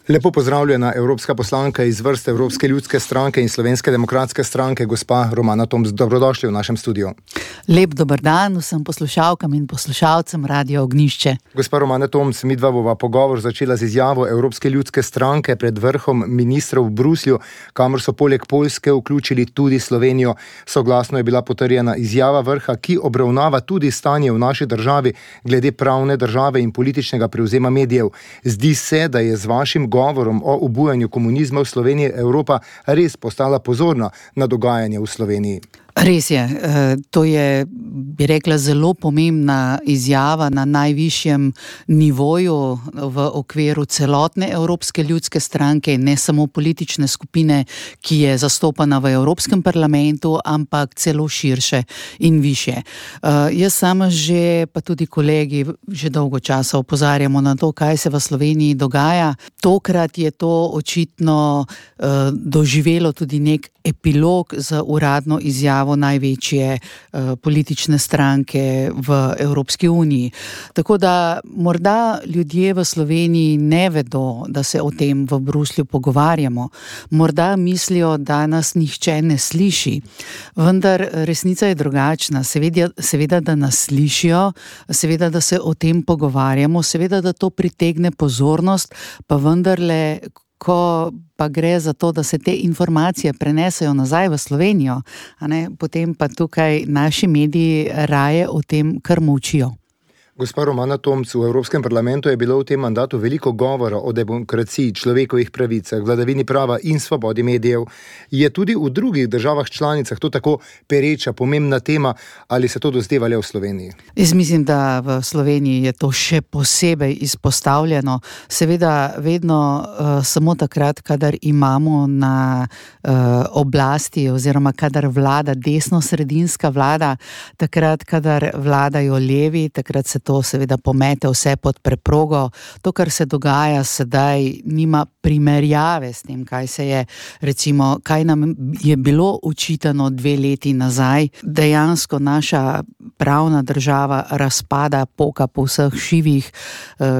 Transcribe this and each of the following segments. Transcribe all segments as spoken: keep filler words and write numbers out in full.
Lepo pozdravljena evropska poslanka iz vrste Evropske ljudske stranke in Slovenske demokratske stranke, gospa Romana Tomc. Dobrodošli v našem studiu. Lep dober dan vsem poslušalkam in poslušalcem Radio Ognjišče. Gospa Romana Tomc, midva bova pogovor začela z izjavo Evropske ljudske stranke pred vrhom ministrov v Bruslju, kamor so poleg Poljske vključili tudi Slovenijo. Soglasno je bila potrjena izjava vrha, ki obravnava tudi stanje v naši državi glede pravne države in političnega prevzema medijev. Zdi se, da je z vašim govorom o obujanju komunizma v Sloveniji Evropa res postala pozorna na dogajanje v Sloveniji. Res je, to je, bi rekla, zelo pomembna izjava na najvišjem nivoju v okviru celotne Evropske ljudske stranke, ne samo politične skupine, ki je zastopana v Evropskem parlamentu, ampak celo širše in više. Jaz sama že, pa tudi kolegi, že dolgo časa opozarjamo na to, kaj se v Sloveniji dogaja. Tokrat je to očitno doživelo tudi nek epilog z uradno izjavo največje uh, politične stranke v Evropski uniji. Tako da morda ljudje v Sloveniji ne vedo, da se o tem v Bruslju pogovarjamo. Morda mislijo, da nas nihče ne sliši. Vendar resnica je drugačna. Seveda, seveda da nas slišijo, seveda, da se o tem pogovarjamo, seveda, da to pritegne pozornost, pa vendarle, ko pa gre za to, da se te informacije prenesejo nazaj v Slovenijo, a ne, potem pa tukaj naši mediji raje o tem kar molčijo. Gospa Romana Tomc, v Evropskem parlamentu je bilo v tem mandatu veliko govora o demokraciji, človekovih pravicah, vladavini prava in svobodi medijev. Je tudi v drugih državah članicah to tako pereča, pomembna tema, ali se to dozdeva le v Sloveniji? Jaz mislim, da v Sloveniji je to še posebej izpostavljeno. Seveda vedno uh, samo takrat, kadar imamo na uh, oblasti oziroma kadar vlada desno-sredinska vlada, takrat, kadar vladajo levi, takrat se to seveda pomete vse pod preprogo. To, kar se dogaja sedaj, nima primerjave s tem, kaj se je, recimo, kaj nam je bilo očitano dve leti nazaj. Dejansko naša pravna država razpada, poka po vseh šivih.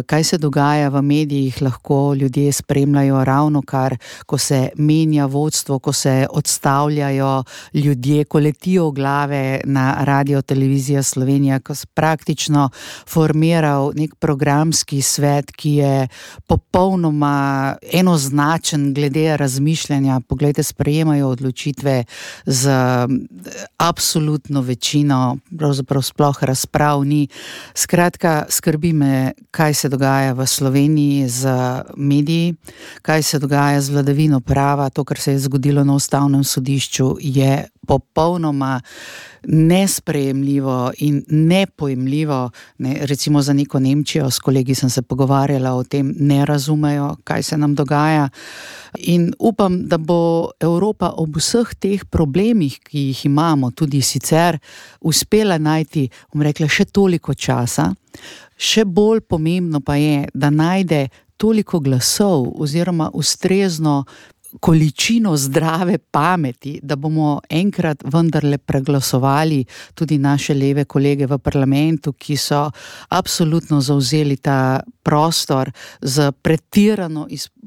Kaj se dogaja v medijih, lahko ljudje spremljajo ravno kar, ko se menja vodstvo, ko se odstavljajo ljudje, ko letijo glave na Radio Televizija Slovenija, ko se praktično formiral nek programski svet, ki je popolnoma enoznačen glede razmišljanja. Poglejte, sprejemajo odločitve z absolutno večino, pravzaprav sploh razprav ni. Skratka, skrbi me, kaj se dogaja v Sloveniji z mediji, kaj se dogaja z vladavino prava. To, kar se je zgodilo na Ustavnem sodišču, je popolnoma nesprejemljivo in nepojemljivo. Ne, recimo za neko Nemčijo, s kolegi sem se pogovarjala o tem, ne razumejo, kaj se nam dogaja. In upam, da bo Evropa ob vseh teh problemih, ki jih imamo, tudi sicer, uspela najti, bom rekla, še toliko časa. Še bolj pomembno pa je, da najde toliko glasov oziroma ustrezno količino zdrave pameti, da bomo enkrat vendarle preglasovali tudi naše leve kolege v parlamentu, ki so absolutno zavzeli ta prostor z pretirano,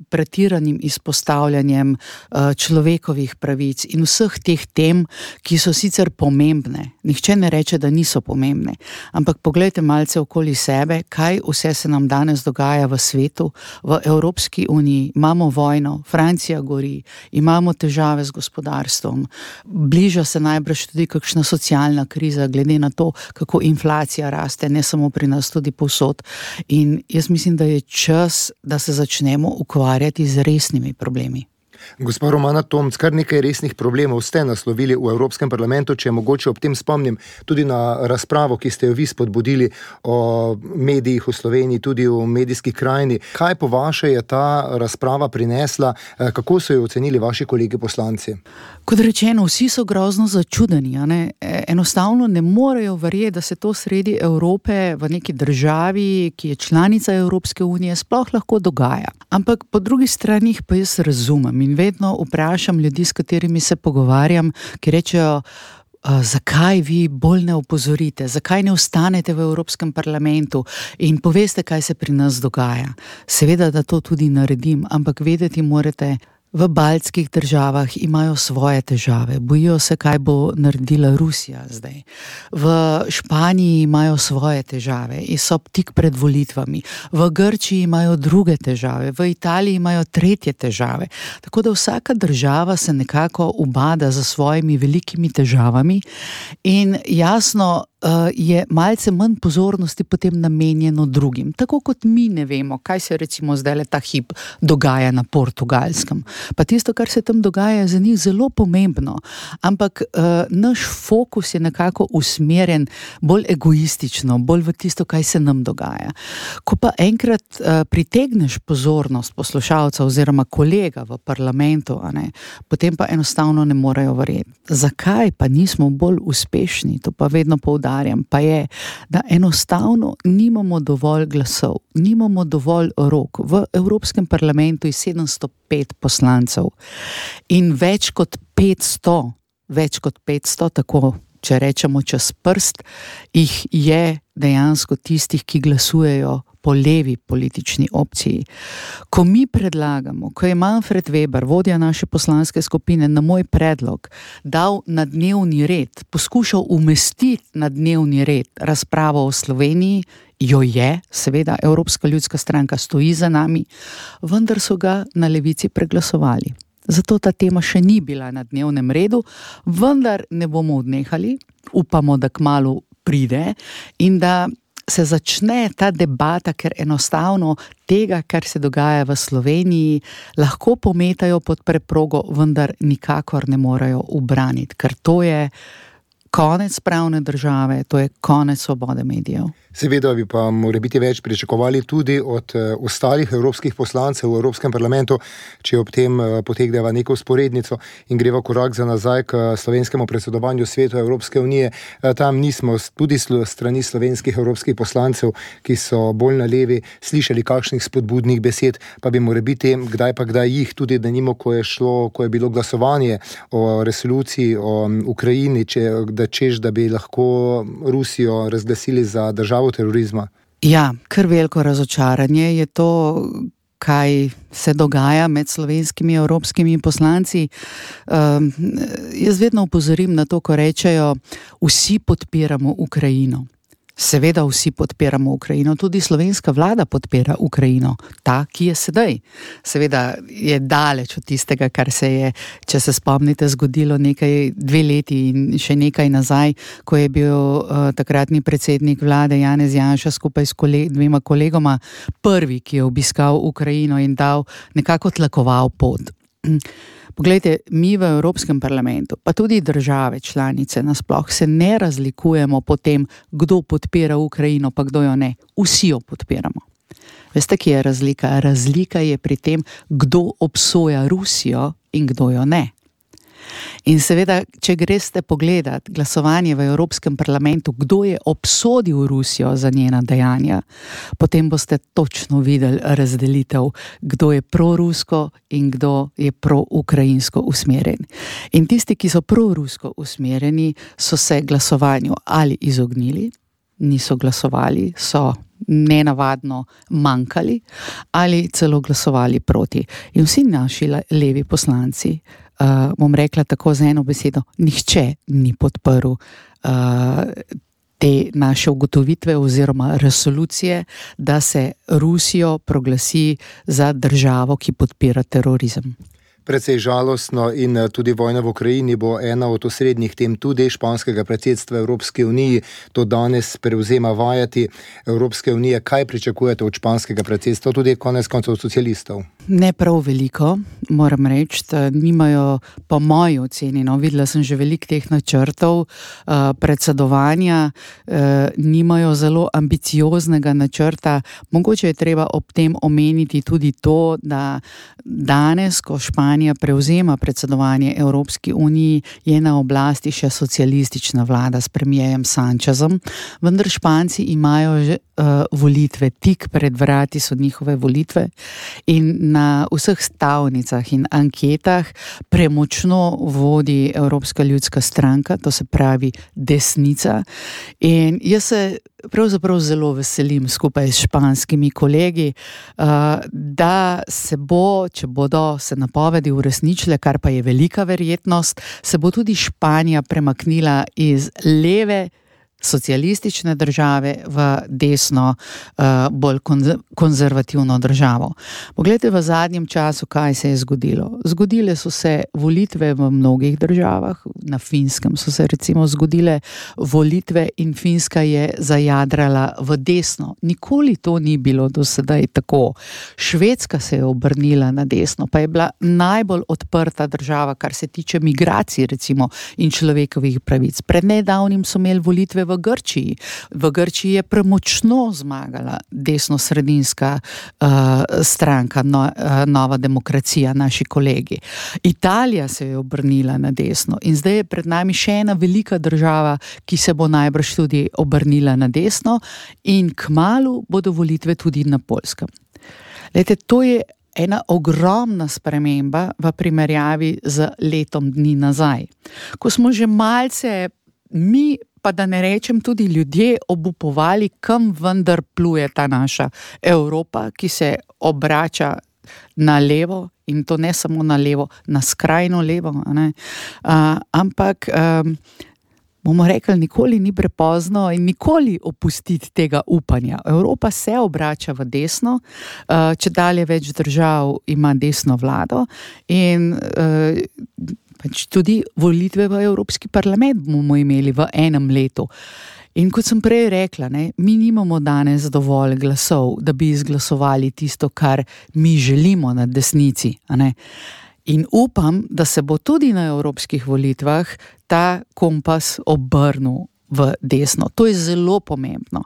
pretiranim izpostavljanjem uh, človekovih pravic in vseh teh tem, ki so sicer pomembne. Nihče ne reče, da niso pomembne, ampak poglejte malce okoli sebe, kaj vse se nam danes dogaja v svetu, v Evropski uniji. Imamo vojno, Francija gori, imamo težave z gospodarstvom, bliža se najbrž tudi kakšna socialna kriza, glede na to, kako inflacija raste, ne samo pri nas, tudi povsod. In jaz mislim, da je čas, da se začnemo ukvarjati z resnimi problemi. Gospa Romana Tomc, kar nekaj resnih problemov ste naslovili v Evropskem parlamentu, če mogoče ob tem spomnim tudi na razpravo, ki ste jo vi spodbudili o medijih v Sloveniji, tudi v medijski krajini. Kaj po vaše je ta razprava prinesla? Kako so jo ocenili vaši kolegi poslanci? Kot rečeno, vsi so grozno začudeni. A ne? Enostavno ne morejo verjeti, da se to sredi Evrope v neki državi, ki je članica Evropske unije, sploh lahko dogaja. Ampak po drugi strani pa jaz razumem in vedno vprašam ljudi, s katerimi se pogovarjam, ki rečejo, uh, zakaj vi bolj ne opozorite, zakaj ne ostanete v Evropskem parlamentu in poveste, kaj se pri nas dogaja. Seveda, da to tudi naredim, ampak vedeti morate, v baltskih državah imajo svoje težave, bojijo se, kaj bo naredila Rusija zdaj. V Španiji imajo svoje težave in so tik pred volitvami. V Grčiji imajo druge težave, v Italiji imajo tretje težave. Tako da vsaka država se nekako ubada za svojimi velikimi težavami in jasno je malce manj pozornosti potem namenjeno drugim. Tako kot mi ne vemo, kaj se recimo zdaj ta hip dogaja na Portugalskem. Pa tisto, kar se tam dogaja, je za njih zelo pomembno. Ampak uh, naš fokus je nekako usmerjen bolj egoistično, bolj v tisto, kaj se nam dogaja. Ko pa enkrat uh, pritegneš pozornost poslušalca oziroma kolega v parlamentu, a ne, potem pa enostavno ne morejo verjeti. Zakaj pa nismo bolj uspešni? To pa vedno poudarjam. Pa je, da enostavno nimamo dovolj glasov, nimamo dovolj rok. V Evropskem parlamentu je sedemsto pet poslancev in več kot petsto, več kot petsto, tako če rečemo čez prst, jih je dejansko tistih, ki glasujejo po levi politični opciji. Ko mi predlagamo, ko je Manfred Weber, vodja naše poslanske skupine, na moj predlog dal na dnevni red, poskušal umestiti na dnevni red razpravo o Sloveniji, jo je, seveda, Evropska ljudska stranka stoji za nami, vendar so ga na levici preglasovali. Zato ta tema še ni bila na dnevnem redu, vendar ne bomo odnehali, upamo, da kmalu pride in da se začne ta debata, ker enostavno tega, kar se dogaja v Sloveniji, lahko pometajo pod preprogo, vendar nikakor ne morejo ubraniti, ker to je konec pravne države, to je konec svobode medijev. Seveda bi pa mora biti več pričakovali tudi od uh, ostalih evropskih poslancev v Evropskem parlamentu, če ob tem uh, potegneva neko usporednico in greva korak za nazaj k slovenskemu predsedovanju svetu Evropske unije. Uh, tam nismo tudi sl- strani slovenskih evropskih poslancev, ki so bolj na levi, slišali kakšnih spodbudnih besed, pa bi mora biti kdaj pa kdaj jih, tudi da nimo, ko je šlo, ko je bilo glasovanje o resoluciji o um, Ukrajini, če, da češ, da bi lahko Rusijo razglasili za državo terorizma. Ja, kar veliko razočaranje je to, kaj se dogaja med slovenskimi evropskimi poslanci. Um, jaz vedno upozorim na to, ko rečejo, vsi podpiramo Ukrajino. Seveda vsi podpiramo Ukrajino, tudi slovenska vlada podpira Ukrajino, ta, ki je sedaj. Seveda je daleč od tistega, kar se je, če se spomnite, zgodilo nekaj dve leti in še nekaj nazaj, ko je bil uh, takratni predsednik vlade Janez Janša skupaj s koleg- dvema kolegoma prvi, ki je obiskal Ukrajino in dal nekako tlakoval pot. Poglejte, mi v Evropskem parlamentu, pa tudi države članice nasploh se ne razlikujemo po tem, kdo podpira Ukrajino, pa kdo jo ne. Vsi jo podpiramo. Veste, kje je razlika? Razlika je pri tem, kdo obsoja Rusijo in kdo jo ne. In seveda, če greste pogledat glasovanje v Evropskem parlamentu, kdo je obsodil Rusijo za njena dejanja, potem boste točno videli razdelitev, kdo je prorusko in kdo je proukrajinsko usmerjen. In tisti, ki so prorusko usmerjeni, so se glasovanju ali izognili, niso glasovali, so nenavadno manjkali ali celo glasovali proti. In vsi naši levi poslanci, Uh, bom rekla tako z eno besedo, nihče ni podprl uh, te naše ugotovitve oziroma resolucije, da se Rusijo proglasi za državo, ki podpira terorizem. Precej žalostno in tudi vojna v Ukrajini bo ena od osrednjih tem tudi španskega predsedstva Evropske unije. To danes prevzema vajati Evropske unije. Kaj pričakujete od španskega predsedstva, tudi konec koncev socialistov? Ne prav veliko, moram reči, da nimajo po moji oceni, no, videla sem že veliko teh načrtov uh, predsedovanja, uh, nimajo zelo ambicioznega načrta. Mogoče je treba ob tem omeniti tudi to, da danes, ko Španija prevzema predsedovanje Evropski uniji, je na oblasti še socialistična vlada s premijerjem Sanchezom, vendar Španci imajo že uh, volitve, tik pred vrati so njihove volitve in na vseh stavnicah in anketah premočno vodi Evropska ljudska stranka, to se pravi desnica. In jaz se pravzaprav zelo veselim skupaj s španskimi kolegi, da se bo, če bodo se napovedi uresničile, kar pa je velika verjetnost, se bo tudi Španija premaknila iz leve socialistične države v desno, bolj konzervativno državo. Poglejte v zadnjem času, kaj se je zgodilo. Zgodile so se volitve v mnogih državah, na Finskem so se recimo zgodile volitve in Finska je zajadrala v desno. Nikoli to ni bilo do sedaj tako. Švedska se je obrnila na desno, pa je bila najbolj odprta država, kar se tiče migracij recimo in človekovih pravic. Pred nedavnim so imeli volitve v Grčiji. V Grčiji je premočno zmagala desno-sredinska uh, stranka, no, uh, Nova demokracija, naši kolegi. Italija se je obrnila na desno in zdaj je pred nami še ena velika država, ki se bo najbrž tudi obrnila na desno in kmalu bodo volitve tudi na Poljskem. Lejte, to je ena ogromna sprememba v primerjavi z letom dni nazaj. Ko smo že malce mi, pa da ne rečem tudi ljudje, obupovali, kam vendar pluje ta naša Evropa, ki se obrača na levo, in to ne samo na levo, na skrajno levo, ne? Uh, ampak um, bomo rekli, nikoli ni prepozno in nikoli opustiti tega upanja. Evropa se obrača v desno, uh, če dalje več držav ima desno vlado in uh, pač tudi volitve v Evropski parlament bomo imeli v enem letu. In kot sem prej rekla, ne, mi nimamo danes dovolj glasov, da bi izglasovali tisto, kar mi želimo na desnici. A ne? In upam, da se bo tudi na evropskih volitvah ta kompas obrnil v desno. To je zelo pomembno.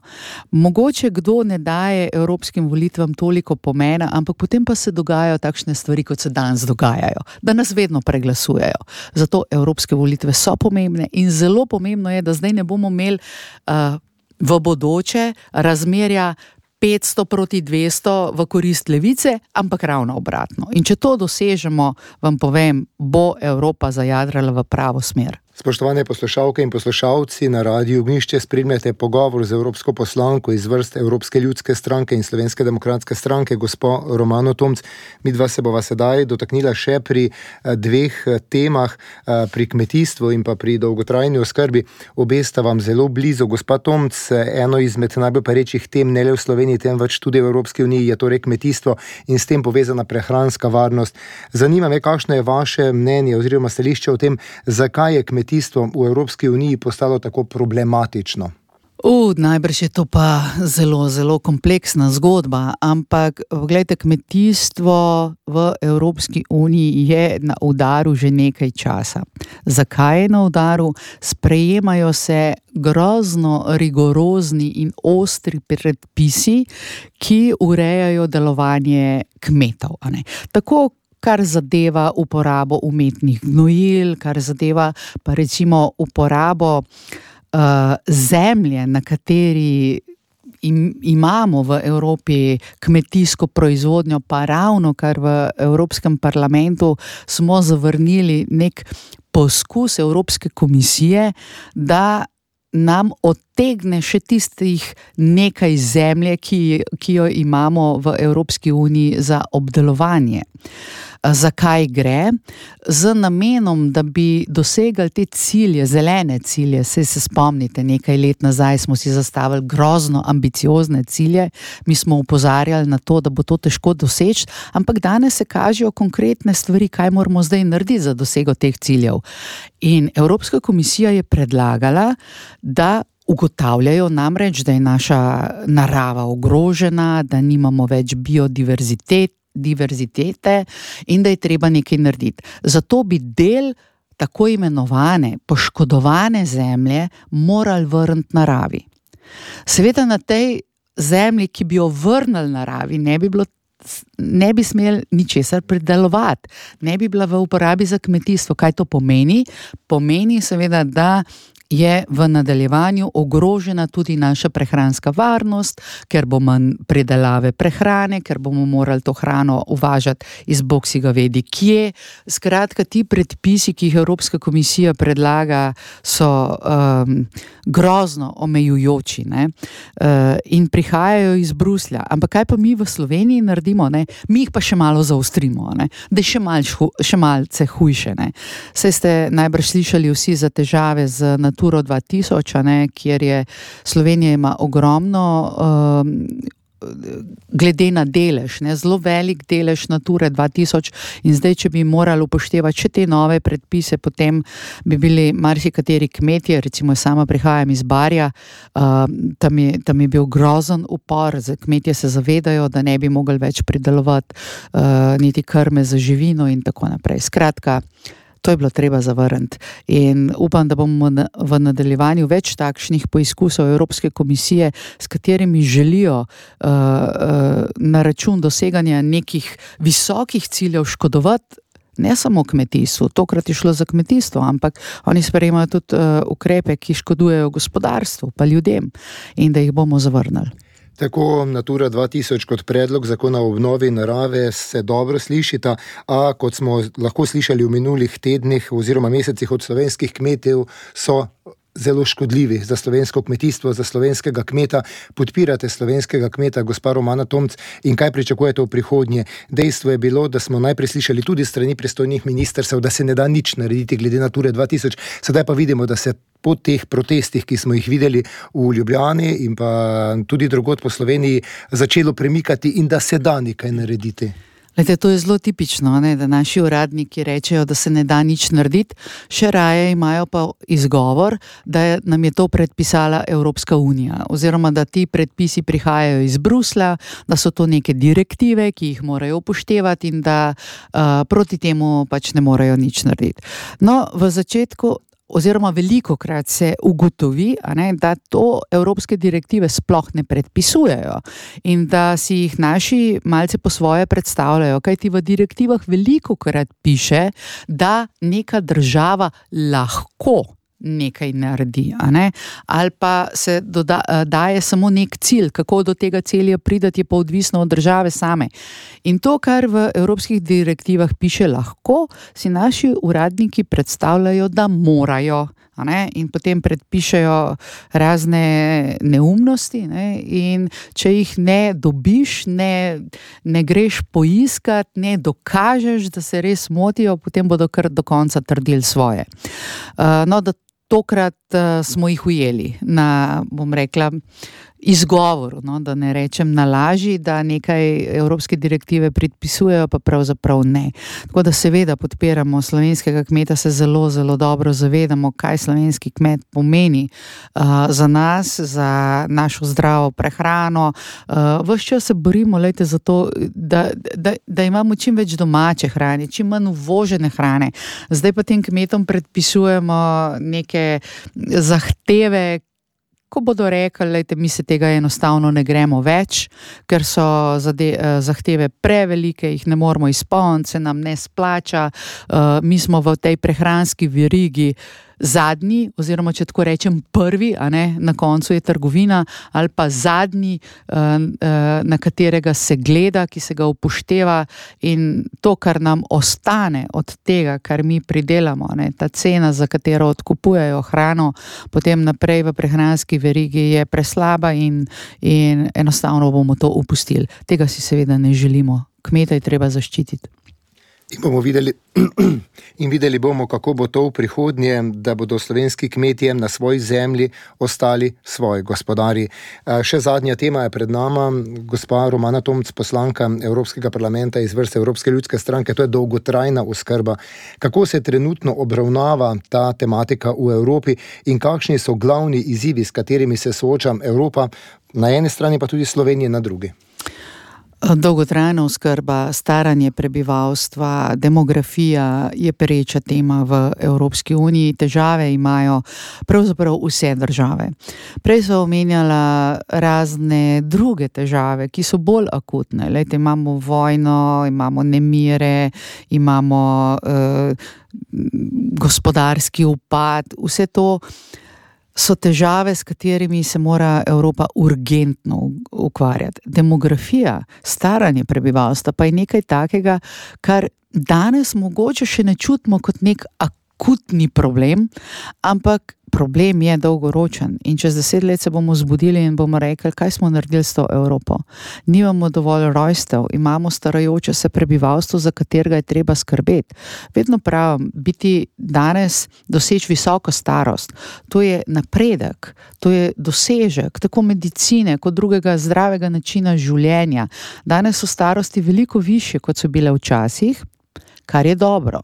Mogoče kdo ne daje evropskim volitvam toliko pomena, ampak potem pa se dogajajo takšne stvari, kot se danes dogajajo, da nas vedno preglasujejo. Zato evropske volitve so pomembne in zelo pomembno je, da zdaj ne bomo imeli uh, v bodoče razmerja petsto proti dvesto v korist levice, ampak ravno obratno. In če to dosežemo, vam povem, bo Evropa zajadrala v pravo smer. Spoštovane poslušalke in poslušalci, na Radiu Ognjišče spremljate pogovor z evropsko poslanko iz vrst Evropske ljudske stranke in Slovenske demokratske stranke, gospo Romano Tomc. Midva se bova sedaj dotaknila še pri dveh temah, pri kmetijstvu in pa pri dolgotrajni oskrbi. Obe sta vam zelo blizu. Gospa Tomc, eno izmed najbolj perečih tem ne le v Sloveniji, temveč tudi v Evropski uniji je torej kmetijstvo in s tem povezana prehranska varnost. Zanima me, kakšno je vaše mnenje oziroma stališče o tem, zakaj je kmetijstvo v Evropski uniji postalo tako problematično? Uh, najbrž je to pa zelo, zelo kompleksna zgodba, ampak gledajte, kmetijstvo v Evropski uniji je na udaru že nekaj časa. Zakaj je na udaru? Sprejemajo se grozno rigorozni in ostri predpisi, ki urejajo delovanje kmetov, a ne? Tako kar zadeva uporabo umetnih gnojil, kar zadeva pa recimo uporabo uh, zemlje, na kateri im, imamo v Evropi kmetijsko proizvodnjo, pa ravno kar v Evropskem parlamentu smo zavrnili nek poskus Evropske komisije, da nam odtegne še tistih nekaj zemlje, ki, ki jo imamo v Evropski uniji za obdelovanje. Zakaj gre? Z namenom, da bi dosegali te cilje, zelene cilje. Saj se spomnite, nekaj let nazaj smo si zastavili grozno ambiciozne cilje, mi smo opozarjali na to, da bo to težko doseči, ampak danes se kažejo konkretne stvari, kaj moramo zdaj narediti za dosego teh ciljev. In Evropska komisija je predlagala, da ugotavljajo namreč, da je naša narava ogrožena, da nimamo več biodiverzitet, diverzitete in da je treba nekaj narediti. Zato bi del tako imenovane poškodovane zemlje morali vrniti naravi. Seveda na tej zemlji, ki bi jo vrnili naravi, ne bi bilo ne bi smeli ničesar pridelovati, ne bi bila v uporabi za kmetijstvo. Kaj to pomeni? Pomeni seveda, da je v nadaljevanju ogrožena tudi naša prehranska varnost, ker bo manj predelave prehrane, ker bomo morali to hrano uvažati iz bog si ga vedi kje. Skratka, ti predpisi, ki jih Evropska komisija predlaga, so um, grozno omejujoči, ne? Uh, in prihajajo iz Bruslja. Ampak kaj pa mi v Sloveniji naredimo? Ne? Mi jih pa še malo zaostrimo, ne? Da je še, mal, še malce hujše. Ne? Saj ste najbrž slišali vsi za težave z Naturo dva tisoč, ne, kjer je Slovenija ima ogromno um, glede na delež, ne, zelo velik delež Nature dva tisoč in zdaj, če bi morali upoštevati še te nove predpise, potem bi bili marsikateri kmetje, recimo sama prihajam iz Barja, uh, tam, je, tam je bil grozen upor, kmetje se zavedajo, da ne bi mogli več pridelovati uh, niti krme za živino in tako naprej. Skratka, to je bilo treba zavrniti in upam, da bomo v nadaljevanju več takšnih poizkusov Evropske komisije, s katerimi želijo uh, uh, na račun doseganja nekih visokih ciljev škodovati ne samo kmetijstvu, tokrat je šlo za kmetijstvo, ampak oni sprejemajo tudi uh, ukrepe, ki škodujejo gospodarstvu pa ljudem in da jih bomo zavrnili. Tako Natura dva tisoč kot predlog zakona o obnovi narave se dobro slišita, a kot smo lahko slišali v minulih tednih oziroma mesecih od slovenskih kmetov, so zelo škodljivi za slovensko kmetijstvo, za slovenskega kmeta. Podpirate slovenskega kmeta, gospa Romana Tomc, in kaj pričakujete v prihodnje? Dejstvo je bilo, da smo najprej slišali tudi strani pristojnih ministrstev, da se ne da nič narediti glede Nature dva tisoč, sedaj pa vidimo, da se po teh protestih, ki smo jih videli v Ljubljani in pa tudi drugod po Sloveniji, začelo premikati in da se da nekaj narediti. Lejte, to je zelo tipično, ne, da naši uradniki rečejo, da se ne da nič narediti, še raje imajo pa izgovor, da nam je to predpisala Evropska unija, oziroma da ti predpisi prihajajo iz Bruslja, da so to neke direktive, ki jih morajo upoštevati in da uh, proti temu pač ne morejo nič narediti. No, v začetku oziroma velikokrat se ugotovi, a ne, da to evropske direktive sploh ne predpisujejo in da si jih naši malce po svoje predstavljajo, kajti v direktivah velikokrat piše, da neka država lahko nekaj naredi, a ne? Ali pa se doda, daje samo nek cilj, kako do tega cilja pridati, je pa odvisno od države same. In to, kar v evropskih direktivah piše lahko, si naši uradniki predstavljajo, da morajo, a ne? In potem predpišejo razne neumnosti, ne? In če jih ne dobiš, ne, ne greš poiskat, ne dokažeš, da se res motijo, potem bodo kar do konca trdili svoje. Uh, no, da Tokrat uh, smo jih ujeli na, bom rekla, izgovoru, no, da ne rečem na laži, da nekaj evropske direktive predpisujejo, pa pravzaprav ne. Tako da seveda podpiramo slovenskega kmeta, se zelo, zelo dobro zavedamo, kaj slovenski kmet pomeni uh, za nas, za našo zdravo prehrano. Uh, ves čas se borimo, lejte, za to, da, da, da imamo čim več domače hrane, čim manj uvožene hrane. Zdaj pa tem kmetom predpisujemo neke zahteve, ko bodo rekli, lejte, mi se tega enostavno ne gremo več, ker so zade, zahteve prevelike, jih ne moremo izpolniti, se nam ne splača, uh, mi smo v tej prehranski verigi zadnji, oziroma če tako rečem prvi, a ne, na koncu je trgovina, ali pa zadnji, na katerega se gleda, ki se ga upošteva in to, kar nam ostane od tega, kar mi pridelamo, ne, ta cena, za katero odkupujejo hrano, potem naprej v prehranski verigi je preslaba in, in enostavno bomo to upustili. Tega si seveda ne želimo. Kmeta je treba zaščititi. In bomo videli, in videli bomo, kako bo to v prihodnje, da bodo slovenski kmetje na svoji zemlji ostali svoji gospodari. Še zadnja tema je pred nama, gospa Romana Tomc, poslanka Evropskega parlamenta iz vrste Evropske ljudske stranke, to je dolgotrajna oskrba. Kako se trenutno obravnava ta tematika v Evropi in kakšni so glavni izzivi, s katerimi se sooča Evropa, na eni strani pa tudi Slovenija na drugi? Dolgotrajna oskrba, staranje prebivalstva, demografija je pereča tema v Evropski uniji. Težave imajo pravzaprav vse države. Prej so omenjala razne druge težave, ki so bolj akutne. Lejte, imamo vojno, imamo nemire, imamo eh, gospodarski upad, vse to so težave, s katerimi se mora Evropa urgentno ukvarjati. Demografija, staranje prebivalstva pa je nekaj takega, kar danes mogoče še ne čutimo kot nek akutni problem, ampak problem je dolgoročen in čez deset let se bomo zbudili in bomo rekli, kaj smo naredili s to Evropo. Nimamo dovolj rojstev, imamo starajoče se prebivalstvo, za katerega je treba skrbeti. Vedno pravim, biti danes, doseči visoko starost, to je napredek, to je dosežek, tako medicine kot drugega zdravega načina življenja. Danes so starosti veliko višje, kot so bile včasih, kar je dobro.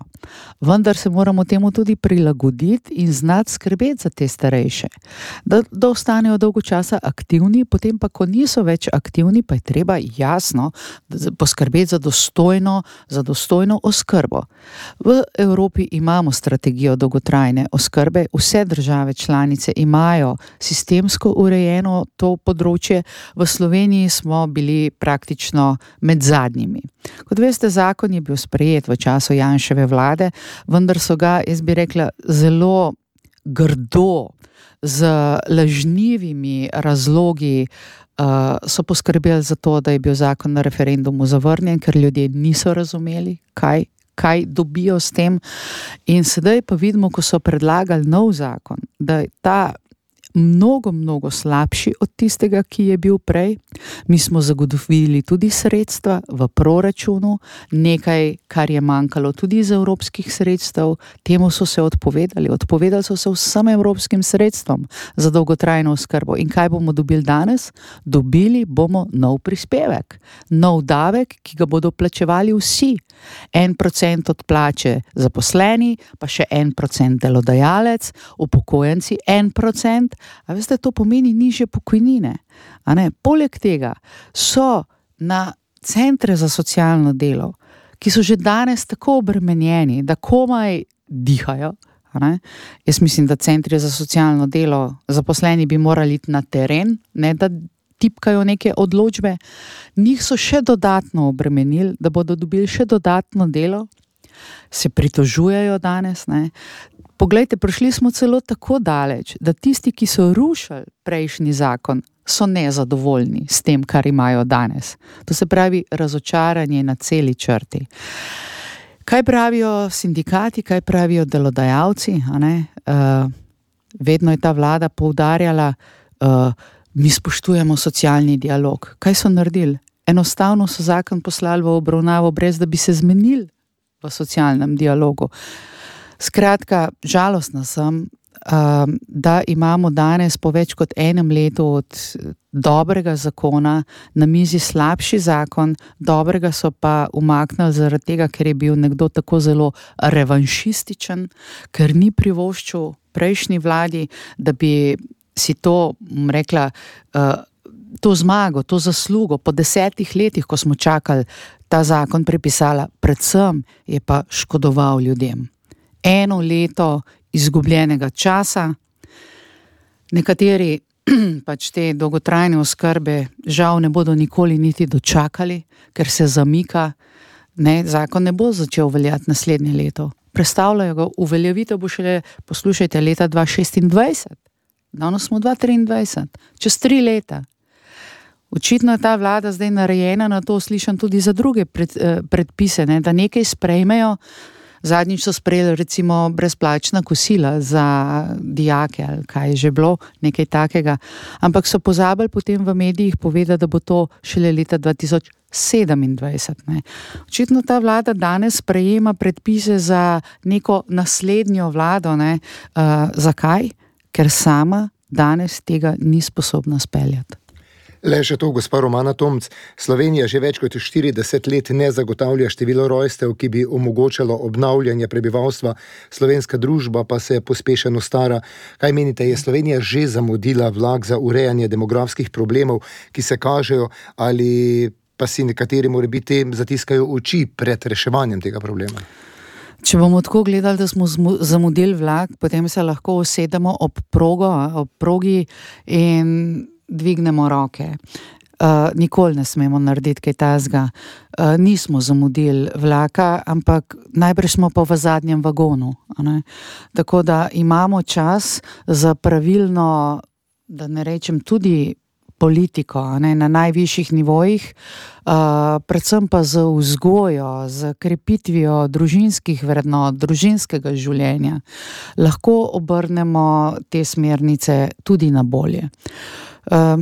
Vendar se moramo temu tudi prilagoditi in znati skrbeti za te starejše. Da, da ostanejo dolgo časa aktivni, potem pa, ko niso več aktivni, pa je treba jasno poskrbeti za dostojno, za dostojno oskrbo. V Evropi imamo strategijo dolgotrajne oskrbe, vse države članice imajo sistemsko urejeno to področje, v Sloveniji smo bili praktično med zadnjimi. Kot veste, zakon je bil sprejet v času Janševe vlade, vendar so ga, jaz bi rekla, zelo grdo, z lažnivimi razlogi uh, so poskrbeli za to, da je bil zakon na referendumu zavrnjen, ker ljudje niso razumeli, kaj, kaj dobijo s tem. In sedaj pa vidimo, ko so predlagali nov zakon, da je ta mnogo, mnogo slabši od tistega, ki je bil prej. Mi smo zagotovili tudi sredstva v proračunu, nekaj, kar je manjkalo tudi iz evropskih sredstev, temu so se odpovedali. Odpovedali so se vsem evropskim sredstvom za dolgotrajno oskrbo. In kaj bomo dobili danes? Dobili bomo nov prispevek, nov davek, ki ga bodo plačevali vsi. En procent od plače zaposleni, pa še en procent delodajalec, upokojenci en procent. A veste, to pomeni nižje pokojnine. A ne? Poleg tega so na centre za socialno delo, ki so že danes tako obremenjeni, da komaj dihajo. A ne? Jaz mislim, da centri za socialno delo, zaposleni bi morali iti na teren, ne da tipkajo neke odločbe. Njih so še dodatno obremenili, da bodo dobili še dodatno delo. Se pritožujejo danes, ne? Poglejte, prišli smo celo tako daleč, da tisti, ki so rušili prejšnji zakon, so nezadovoljni s tem, kar imajo danes. To se pravi razočaranje na celi črti. Kaj pravijo sindikati, kaj pravijo delodajalci? A ne? Uh, vedno je ta vlada poudarjala, uh, mi spoštujemo socialni dialog. Kaj so naredili? Enostavno so zakon poslali v obravnavo, brez da bi se zmenili v socialnem dialogu. Skratka, žalostna sem, da imamo danes po več kot enem letu od dobrega zakona na mizi slabši zakon, dobrega so pa umaknili zaradi tega, ker je bil nekdo tako zelo revanšističen, ker ni privoščil prejšnji vladi, da bi si to, rekla, to zmago, to zaslugo po desetih letih, ko smo čakali ta zakon, prepisala, predvsem je pa škodoval ljudem. Eno leto izgubljenega časa, nekateri pač te dolgotrajne oskrbe žal ne bodo nikoli niti dočakali, ker se zamika, ne, zakon ne bo začel veljati naslednje leto. Prestavljajo ga, uveljavitev bo šele, poslušajte, leta dva šestindvajset, danes smo dva triindvajset, čez tri leta. Očitno je ta vlada zdaj narejena na to, slišam tudi za druge pred, eh, predpise, ne, da nekaj sprejmejo. Zadnjič so sprejeli recimo brezplačna kosila za dijake ali kaj je že bilo, nekaj takega. Ampak so pozabili potem v medijih povedati, da bo to šele leta dva tisoč sedemindvajset. Ne. Očitno ta vlada danes sprejema predpise za neko naslednjo vlado. Ne. Uh, zakaj? Ker sama danes tega ni sposobna speljati. Le še to, gospa Romana Tomc, Slovenija že več kot štirideset let ne zagotavlja število rojstev, ki bi omogočalo obnavljanje prebivalstva, slovenska družba pa se pospešeno stara. Kaj menite, je Slovenija že zamudila vlak za urejanje demografskih problemov, ki se kažejo, ali pa si nekateri morebiti zatiskajo oči pred reševanjem tega problema? Če bomo tako gledali, da smo zamudili vlak, potem se lahko usedemo ob progo, ob progi in dvignemo roke. Uh, nikoli ne smemo narediti kaj tazga. Uh, nismo zamudili vlaka, ampak najbrž smo pa v zadnjem vagonu. Ne? Tako da imamo čas za pravilno, da ne rečem, tudi politiko, ne, na najvišjih nivojih, uh, predvsem pa z vzgojo, z krepitvijo družinskih vrednot, družinskega življenja, lahko obrnemo te smernice tudi na bolje. Uh,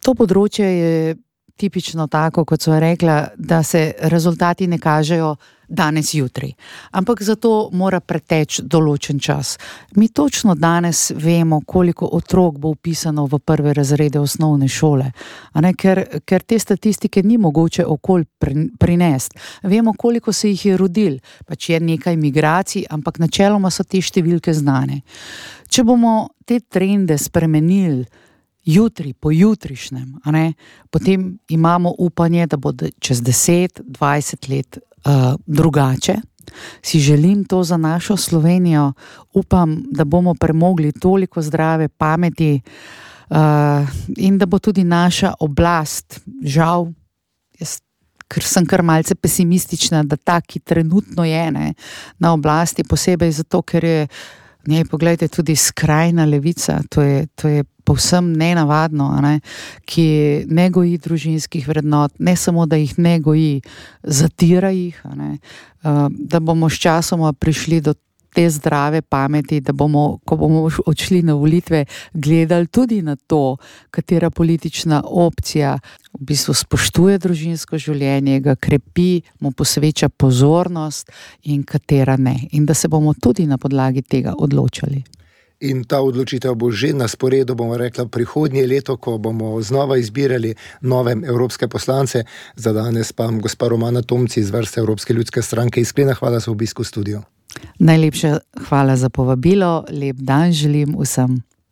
to področje je tipično tako, kot so rekla, da se rezultati ne kažejo danes, jutri. Ampak zato mora preteči določen čas. Mi točno danes vemo, koliko otrok bo vpisano v prve razrede osnovne šole, a ne, ker, ker te statistike ni mogoče okoli prinesti. Vemo, koliko se jih je rodil, pač je nekaj migracij, ampak načeloma so te številke znane. Če bomo te trende spremenili jutri, po jutrišnjem, a ne, potem imamo upanje, da bo čez deset, dvajset let uh, drugače. Si želim to za našo Slovenijo, upam, da bomo premogli toliko zdrave pameti uh, in da bo tudi naša oblast, žal, jaz, ker sem kar malce pesimistična, da ta, ki trenutno je, ne, na oblasti, posebej zato, ker je, ne, poglejte, tudi skrajna levica, to je, to je povsem nenavadno, a ne, ki ne goji družinskih vrednot, ne samo, da jih ne goji, zatira jih, a ne, da bomo s časoma prišli do te zdrave pameti, da bomo, ko bomo odšli na volitve, gledali tudi na to, katera politična opcija v bistvu spoštuje družinsko življenje, ga krepi, mu posveča pozornost in katera ne. In da se bomo tudi na podlagi tega odločali. In ta odločitev bo že na sporedu, bomo rekla, prihodnje leto, ko bomo znova izbirali nove evropske poslance. Za danes pa gospa Romana Tomci iz vrste Evropske ljudske stranke. Iskrena hvala za obisk v studiu. Najlepša hvala za povabilo, lep dan želim vsem.